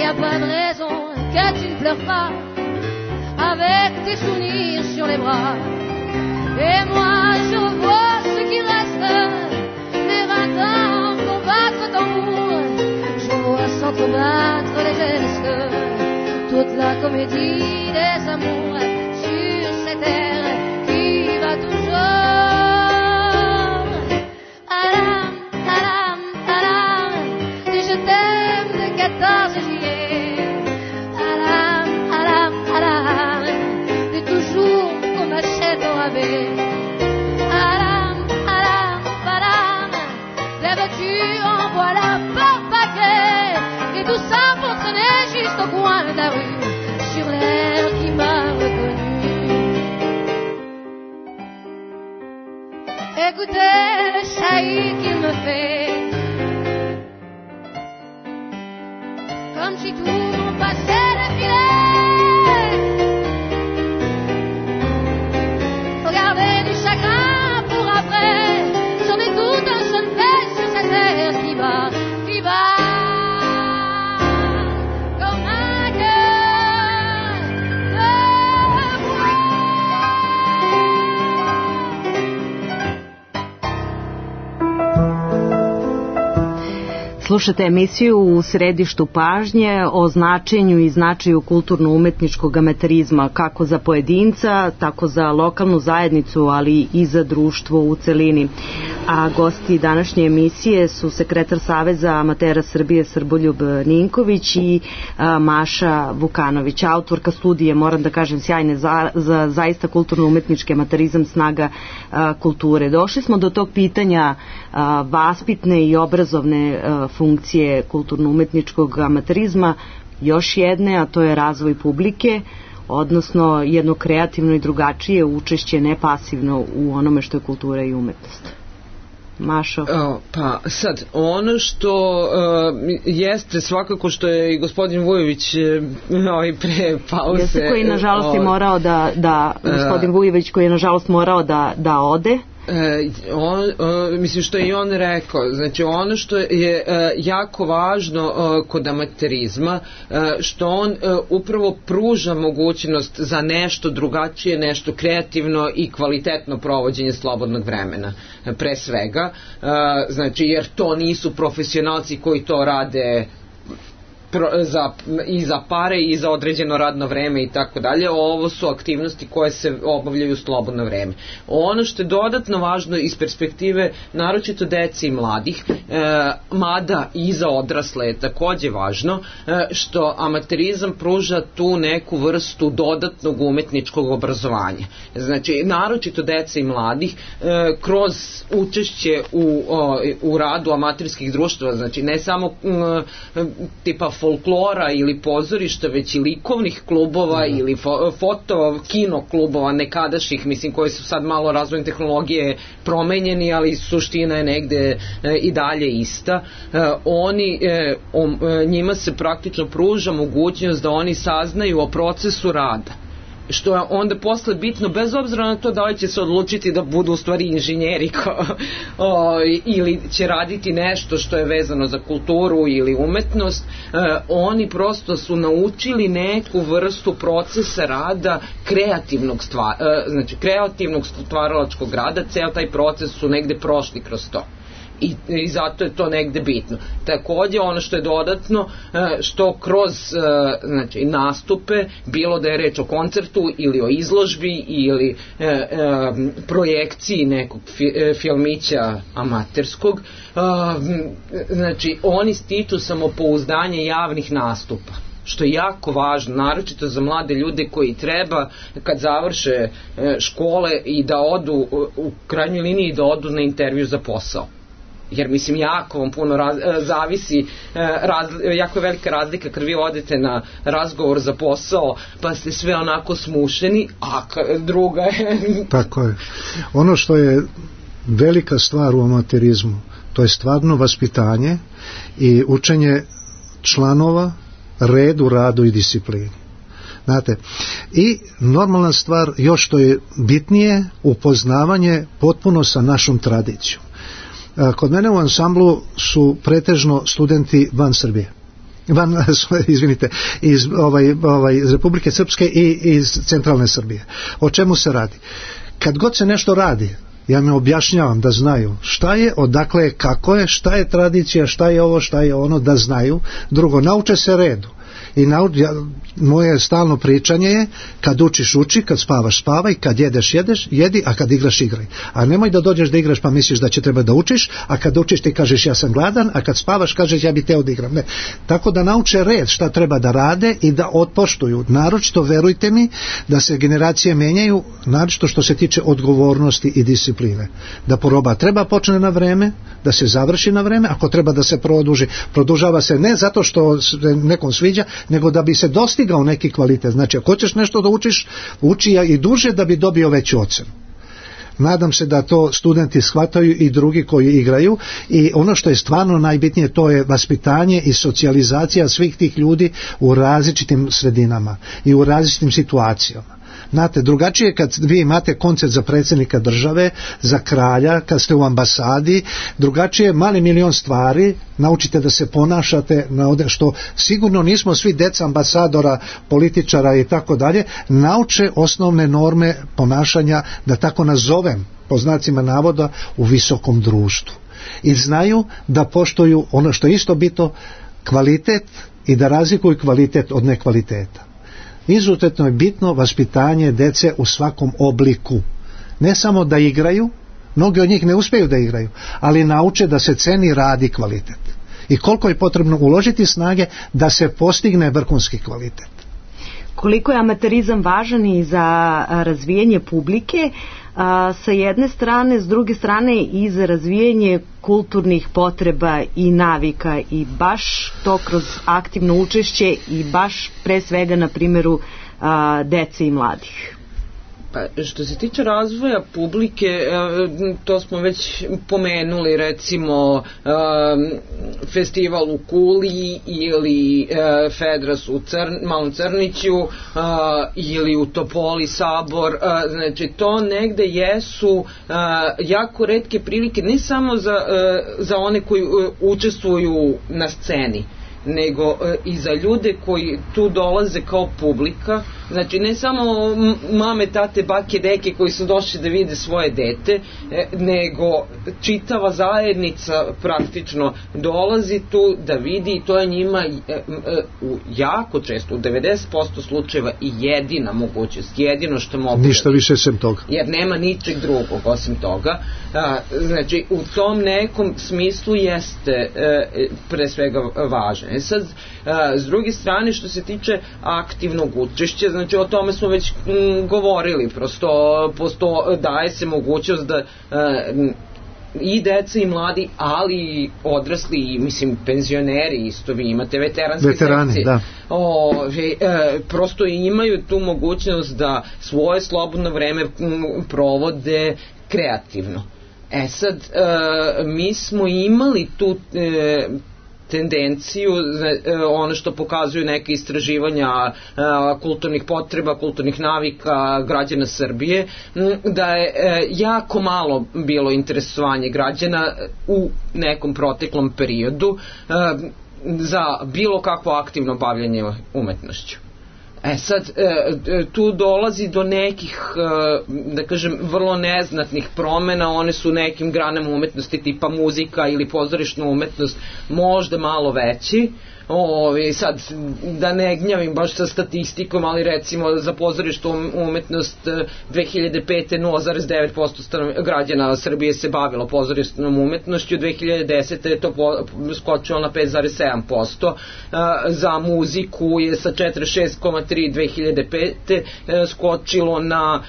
y a pas de raison que tu ne pleures pas, avec tes souvenirs sur les bras. Et moi je vois ce qui reste, les vingt ans pour battre tambour. Je vois s'entrebattre les gestes, toute la comédie des amours sur cette terre qui va toujours. Alam, alam, alam, et je t'aime le quatorze juillet. Alam, alam, alam, et toujours qu'on m'achète au rabais. Alam, alam, alam, la voiture envoie la par paquet, et tout ça pour traîner juste au coin de la rue, sur l'air qui m'a reconnu. Écoutez le chahut qu'il me fait, comme si tout passait le filet. Regardez du chagrin pour après, j'en ai tout un seul fait sur cette terre qui va, qui va, comme un cœur de bois. Slušate emisiju U središtu pažnje o značenju i značaju kulturno-umetničkog amaterizma kako za pojedinca, tako za lokalnu zajednicu, ali i za društvo u celini. A gosti današnje emisije su sekretar Saveza amatera Srbije Srboljub Ninković i a, Maša Vukanović, autorka studije, moram da kažem, sjajne za, za zaista kulturno-umetnički amaterizam, snaga a, kulture. Došli smo do tog pitanja a, vaspitne i obrazovne a, funkcije kulturno-umetničkog amaterizma, još jedne, a to je razvoj publike, odnosno jedno kreativno i drugačije učešće, ne pasivno, u onome što je kultura i umetnost. Mašo? O, pa sad, ono što uh, jeste svakako što je i gospodin Vujović ovaj pre pauze... Jeste koji nažalost je morao da, da gospodin Vujović koji je nažalost morao da, da ode. E, on, e, mislim što je i on rekao, znači ono što je e, jako važno e, kod amaterizma, e, što on e, upravo pruža mogućnost za nešto drugačije, nešto kreativno i kvalitetno provođenje slobodnog vremena, e, pre svega, e, znači jer to nisu profesionalci koji to rade za, i za pare i za određeno radno vreme i tako dalje. Ovo su aktivnosti koje se obavljaju u slobodno vreme. Ono što je dodatno važno iz perspektive naročito dece i mladih, e, mada i za odrasle je takođe važno, e, što amaterizam pruža tu neku vrstu dodatnog umetničkog obrazovanja. Znači, naročito dece i mladih e, kroz učešće u, o, u radu amaterskih društva, znači ne samo m, tipa folklora ili pozorišta, već i likovnih klubova mm. ili fo, foto, kino klubova nekadašnjih, mislim, koji su sad malo razvojem tehnologije promenjeni, ali suština je negde e, i dalje ista. E, oni, e, o, e, njima se praktično pruža mogućnost da oni saznaju o procesu rada, što je onda posle bitno, bez obzira na to da li će se odlučiti da budu u stvari inženjeri ko, o, ili će raditi nešto što je vezano za kulturu ili umetnost, e, oni prosto su naučili neku vrstu procesa rada kreativnog stvar, e, znači kreativnog stvaralačkog rada, ceo taj proces su negde prošli kroz to. I, i zato je to negde bitno. Takođe ono što je dodatno, što kroz znači, nastupe, bilo da je reč o koncertu ili o izložbi ili e, e, projekciji nekog fi, e, filmića amaterskog, e, znači oni stiču samopouzdanje javnih nastupa, što je jako važno, naročito za mlade ljude koji treba kad završe škole i da odu, u krajnjoj liniji da odu na intervju za posao. Jer mislim jako vam puno raz, zavisi, raz, jako je velika razlika kad vi odete na razgovor za posao pa ste sve onako smušeni, a druga je... Tako je. Ono što je velika stvar u amaterizmu, to je stvarno vaspitanje i učenje članova, redu, radu i disciplini. Znate, i normalna stvar, još što je bitnije, upoznavanje potpuno sa našom tradicijom. Kod mene u ansamblu su pretežno studenti van Srbije, van, izvinite, iz, ovaj, ovaj, iz Republike Srpske i iz centralne Srbije. O čemu se radi? Kad god se nešto radi, ja mi objašnjavam da znaju šta je, odakle je, kako je, šta je tradicija, šta je ovo, šta je ono, da znaju. Drugo, nauče se redu. I nauč, ja, moje stalno pričanje je kad učiš uči, kad spavaš spavaj, kad jedeš jedeš, jedi, a kad igraš igraj. A nemoj da dođeš da igraš pa misliš da će treba da učiš, a kad učiš ti kažeš ja sam gladan, a kad spavaš kažeš ja bi teo da igram. Ne. Tako da nauče red šta treba da rade i da otpoštuju. Naročito, verujte mi, da se generacije menjaju, naročito što se tiče odgovornosti i discipline. Da poroba treba počne na vreme, da se završi na vreme, ako treba da se produži, produžava se ne zato što se nekom sviđa, nego da bi se dostigao neki kvalitet. Znači, ako hoćeš nešto da učiš, uči i duže da bi dobio veću ocenu. Nadam se da to studenti shvataju i drugi koji igraju, i ono što je stvarno najbitnije, to je vaspitanje i socijalizacija svih tih ljudi u različitim sredinama i u različitim situacijama. Znate, drugačije kad vi imate koncert za predsjednika države, za kralja, kad ste u ambasadi, drugačije mali milion stvari, naučite da se ponašate, na što sigurno nismo svi deca ambasadora, političara i tako dalje, nauče osnovne norme ponašanja, da tako nazovem, po znacima navoda, u visokom društvu. i znaju da poštuju ono što je isto bitno, kvalitet, i da razlikuju kvalitet od nekvaliteta. Izuzetno je bitno vaspitanje dece u svakom obliku. Ne samo da igraju, mnogi od njih ne uspiju da igraju, ali nauče da se ceni rad i kvalitet. I koliko je potrebno uložiti snage da se postigne vrhunski kvalitet. Koliko je amaterizam važan i za razvijanje publike, a, sa jedne strane, s druge strane i za razvijanje kulturnih potreba i navika, i baš to kroz aktivno učešće i baš pre svega na primjeru a, dece i mladih. Pa, što se tiče razvoja publike, to smo već pomenuli, recimo festival u Kuli ili Fedras u Crn, Malom Crniću ili u Topoli Sabor. Znači, to negde jesu jako retke prilike, ne samo za, za one koji učestvuju na sceni, nego i za ljude koji tu dolaze kao publika. Znači, ne samo mame, tate, bake, deke koji su došli da vide svoje dete, nego čitava zajednica praktično dolazi tu da vidi, i to je njima u jako često, u devedeset posto slučajeva, i jedina mogućnost, jedino što mogu. Ništa više sem toga. Jer nema ničeg drugog osim toga. Znači, u tom nekom smislu jeste pre svega važno. E sad, s druge strane, što se tiče aktivnog učešća, znači o tome smo već m, govorili, prosto posto daje se mogućnost da e, i deca i mladi, ali i odrasli, i mislim penzioneri isto, vi imate veteranske Veterani, sekcije, da. o, e, prosto imaju tu mogućnost da svoje slobodno vreme m, provode kreativno. E sad, e, mi smo imali tu e, tendenciju, ono što pokazuju neke istraživanja kulturnih potreba, kulturnih navika građana Srbije, da je jako malo bilo interesovanje građana u nekom proteklom periodu za bilo kakvo aktivno bavljanje umetnošću. E sad, tu dolazi do nekih, da kažem, vrlo neznatnih promena. One su nekim granama umetnosti tipa muzika ili pozorišna umetnost možda malo veći. O, sad, da ne gnjavim baš sa statistikom, ali recimo za pozorišnu umetnost dve hiljade pete. nula zarez devet posto građana Srbije se bavilo pozorišnom umetnošću, dve hiljade desete. je to skočilo na pet zarez sedam posto, za muziku je sa četrdeset šest zarez tri dve hiljade pete. skočilo na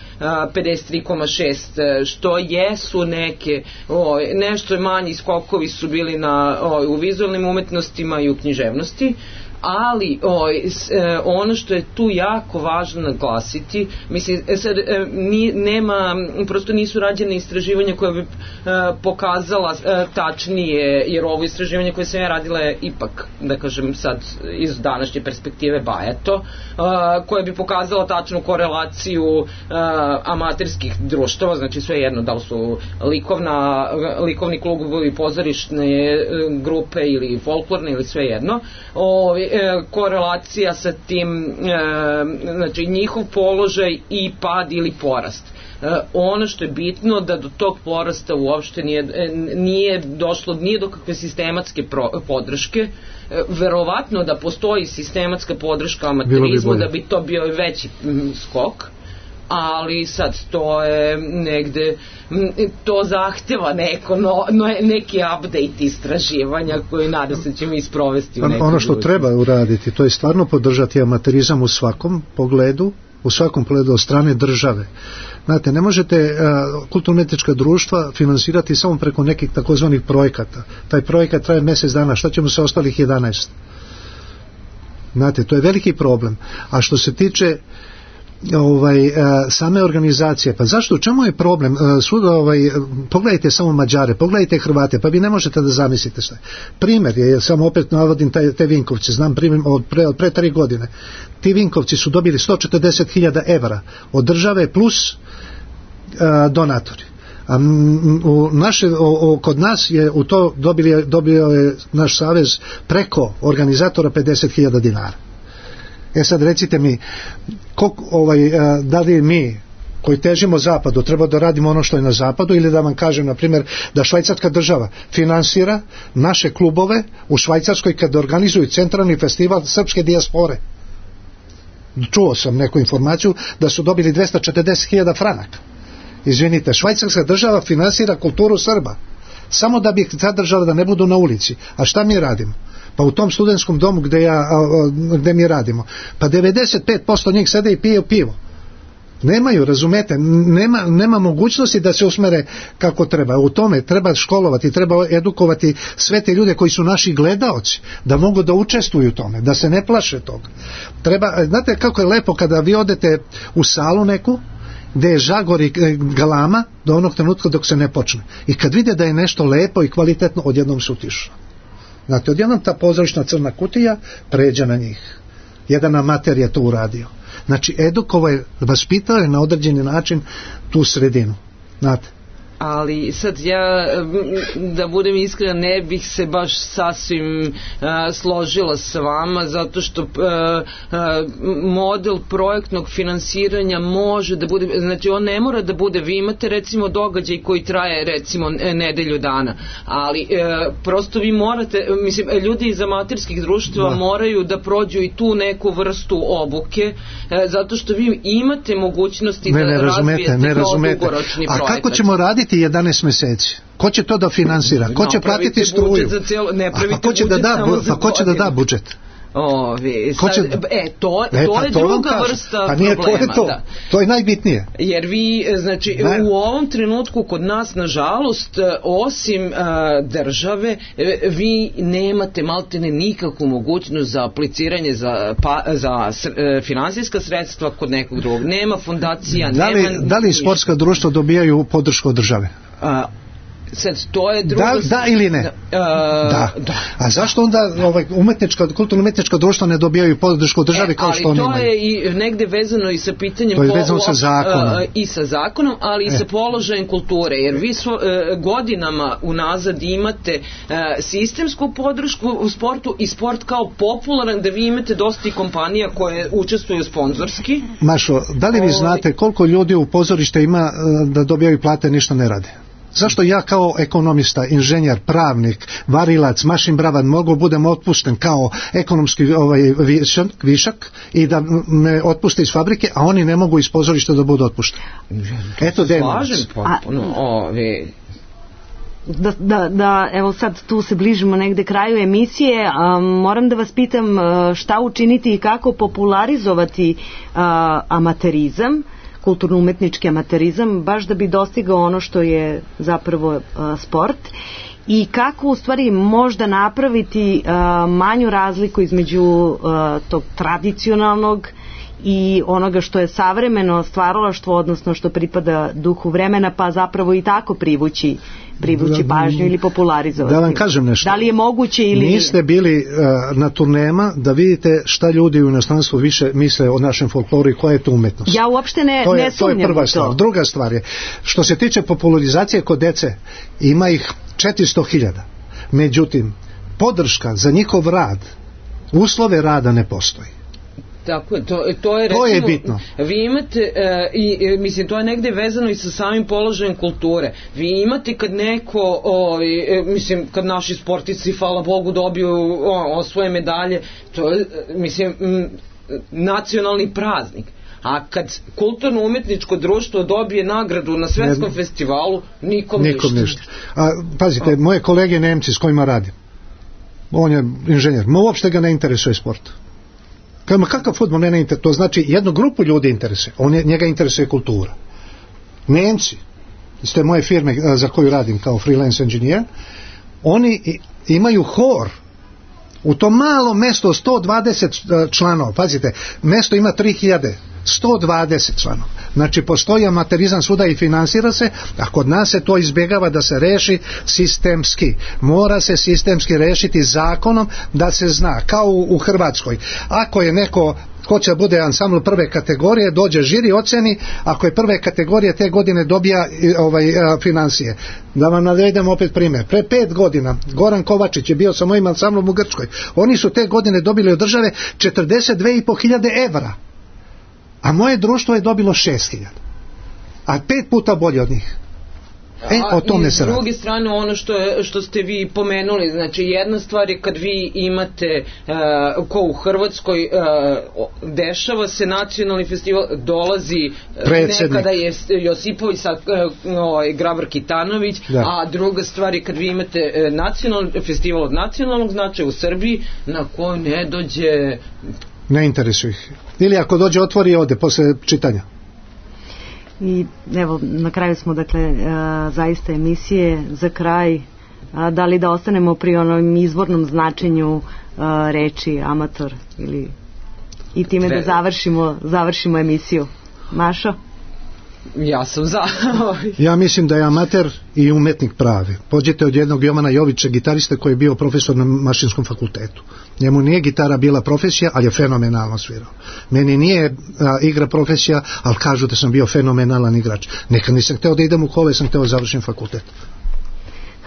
pedeset tri zarez šest, što jesu neke, o, nešto manji skokovi su bili na, o, u vizualnim umetnostima i u književnosti. Ali oj, ono što je tu jako važno naglasiti, mislim, sad, ni, nema, prosto nisu rađene istraživanja koje bi e, pokazala e, tačnije, jer ovo istraživanje koje sam ja radila je ipak, da kažem sad iz današnje perspektive bajato, e, koje bi pokazala tačnu korelaciju e, amaterskih društava, znači sve jedno, da li su likovna, likovni klubovi, pozorišne e, grupe ili folklorne ili sve jedno, o, korelacija sa tim, e, znači njihov položaj i pad ili porast. E, ono što je bitno da do tog porasta uopšte nije, nije došlo, nije do kakve sistematske pro, podrške. E, verovatno da postoji sistematska podrška amaterizmu, bi da bi to bio veći m, skok, ali sad to je negde, to zahteva neko, no, no, neki update istraživanja koji nadam se ćemo isprovesti u nekom. Ono što budućnosti treba uraditi, to je stvarno podržati amaterizam u svakom pogledu, u svakom pogledu od strane države. Znate, ne možete uh, kulturno-umetnička društva finansirati samo preko nekih takozvanih projekata. Taj projekat traje mjesec dana, šta ćemo sa ostalih jedanaest? Znate, to je veliki problem. A što se tiče ovaj, same organizacije, pa zašto, u čemu je problem? Svuda, ovaj, pogledajte samo Mađare, pogledajte Hrvate, pa vi ne možete da zamislite šta. Primjer je, samo opet navodim taj, te Vinkovci, znam primjer od pre, od pre tri godine. Ti Vinkovci su dobili sto četrdeset hiljada evra od države plus a, donatori. A u naše, o, o, kod nas je u to dobili, dobio je naš savez preko organizatora pedeset hiljada dinara. E sad recite mi, koliko, ovaj, da li mi koji težimo zapadu, treba da radimo ono što je na zapadu, ili da vam kažem, na primjer, da švajcarska država finansira naše klubove u Švajcarskoj kad organizuju centralni festival srpske dijaspore. Čuo sam neku informaciju da su dobili dvesta četrdeset hiljada franaka. Izvinite, švajcarska država finansira kulturu Srba samo da bi ih zadržala da ne budu na ulici. A šta mi radimo? Pa u tom studentskom domu gde, ja, gde mi radimo, pa devedeset pet posto njih sede i pije pivo. Nemaju, razumete, nema, nema mogućnosti da se usmere kako treba. U tome treba školovati, treba edukovati sve te ljude koji su naši gledaoci, da mogu da učestvuju u tome, da se ne plaše toga. Treba, znate kako je lepo kada vi odete u salu neku, gde je žagor i galama do onog trenutka dok se ne počne. I kad vide da je nešto lepo i kvalitetno, odjednom su utišno. Znate, odjednom ta pozorišna crna kutija pređe na njih. Jedan amater je to uradio. Znači, edukovao je, vaspitao je na određeni način tu sredinu. Znate. Ali sad ja, da budem iskren, ne bih se baš sasvim uh, složila sa vama, zato što uh, uh, model projektnog finansiranja može da bude, znači on ne mora da bude, vi imate recimo događaj koji traje recimo nedelju dana, ali uh, prosto vi morate, mislim, ljudi iz amaterskih društva da. moraju da prođu i tu neku vrstu obuke, uh, zato što vi imate mogućnosti ne, da ne razvijete ne razumete. dugoročni projekat. A kako ćemo raditi jedanaest meseci? Ko će to da finansira? Ko će platiti struju? Cijelo, ne a ko će da da, a ko će da da budžet? O, vi, sad, će... E, to, e, to je to druga vrsta pa nije, problema. To je, to. Da. to je najbitnije. Jer vi, znači, ne. u ovom trenutku kod nas, nažalost, osim uh, države, vi nemate maltene nikakvu mogućnost za apliciranje za, pa, za uh, finansijska sredstva kod nekog drugog. Nema fondacija, da li, nema... Da li sportska društva dobijaju podršku od države? A, sad, to je druga... Da, da ili ne? Da, uh, da. da. A zašto onda ovaj, umetnička, kulturno-umetnička društva ne dobijaju podršku države e, kao što oni imaju? Ali to je i negde vezano i sa pitanjem... To je vezano sa zakonom. Uh, I sa zakonom, ali i e. sa položajem kulture. Jer vi svo, uh, godinama unazad imate uh, sistemsku podršku u sportu i sport kao popularan, da vi imate dosta i kompanija koje učestvuju sponzorski. Mašo, da li vi znate koliko ljudi u pozorište ima uh, da dobijaju plate, ništa ne rade? Zašto ja kao ekonomista, inženjer, pravnik, varilac, mašin bravan mogu budem otpušten kao ekonomski ovaj, višak, višak i da me otpuste iz fabrike, a oni ne mogu iz pozorišta da budu otpušteni? Eto da je Da, da, da, evo sad tu se bližimo negde kraju emisije, a, moram da vas pitam a, šta učiniti i kako popularizovati a, amaterizam, kulturno-umetnički amaterizam, baš da bi dostigao ono što je zapravo a, sport, i kako u stvari možda napraviti a, manju razliku između a, tog tradicionalnog i onoga što je savremeno stvaralaštvo, odnosno što pripada duhu vremena, pa zapravo i tako privući privući pažnju ili popularizovati. Da vam kažem nešto. Da li je moguće ili niste nije? bili uh, na turnema da vidite šta ljudi u inostranstvu više misle o našem folkloru i koja je to umetnost. Ja uopšte ne, to je, ne sumnjam to je prva stvar. To. Druga stvar je, što se tiče popularizacije kod dece, ima ih četiristo hiljada. Međutim, podrška za njihov rad, uslove rada ne postoji. Tako je, to, to je, recimo, to je bitno. Vi imate, e, i, mislim, to je negde vezano i sa samim položajem kulture. Vi imate kad neko, o, e, mislim, kad naši sportisti, hvala Bogu, dobiju o, osvoje medalje, to je, mislim, m, nacionalni praznik. A kad kulturno-umetničko društvo dobije nagradu na svetskom ne, festivalu, nikom, nikom ništa. ništa. A, pazite, A. moje kolege Nemci s kojima radim, on je inženjer, ma uopšte ga ne interesuje sport. Kama kakav fudbal ne interesuje, to znači jednu grupu ljudi interesuje, on je, njega interesuje kultura. Nemci, iz te moje firme za koju radim kao freelance engineer, oni imaju hor u tom malom mesto sto dvadeset članova, pazite, mesto ima tri hiljade, sto dvadeset članova. Znači postoji amaterizam svuda i finansira se, a kod nas se to izbjegava da se reši sistemski. Mora se sistemski rešiti zakonom da se zna, kao u, u Hrvatskoj. Ako je neko hoće da bude ansambl prve kategorije, dođe žiri, oceni, ako je prve kategorije te godine dobija ovaj, financije. Da vam navedem opet primjer. Pre pet godina Goran Kovačić je bio sa mojim ansamblom u Grčkoj. Oni su te godine dobili od države četrdeset dve i po hiljade evra. A moje društvo je dobilo šest hiljada. a pet puta bolji od njih. E, o tome se radi. S druge strane, ono što, je, što ste vi pomenuli, znači jedna stvar je kad vi imate uh, ko u Hrvatskoj uh, dešava se nacionalni festival, dolazi Predsednik. nekada je Josipović, sad uh, Grabar Kitanović, da. A druga stvar je kad vi imate uh, nacionalni festival od nacionalnog značaja u Srbiji na koji ne dođe, ne interesuje ih, ili ako dođe otvori i ode posle čitanja. I evo, na kraju smo, dakle, a, zaista emisije. Za kraj, a, da li da ostanemo pri onom izvornom značenju a, reči amator ili i time da završimo, završimo emisiju. Mašo? Ja sam za. Ja mislim da je amater i umetnik pravi. Pođete od jednog Jovana Jovića, gitarista koji je bio profesor na Mašinskom fakultetu. Njemu nije gitara bila profesija, ali je fenomenalno svirao. Meni nije a, igra profesija, ali kažu da sam bio fenomenalan igrač. Nekad nisam hteo da idem u kole, sam hteo da završim fakultet.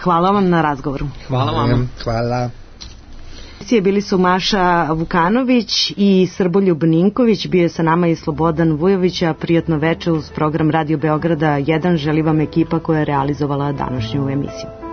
Hvala vam na razgovoru. Hvala vam. Hvala. Bili su Maša Vukanović i Srboljub Ninković, bio je sa nama i Slobodan Vujović, a prijatno veče uz program Radio Beograda jedan želi vam ekipa koja je realizovala današnju emisiju.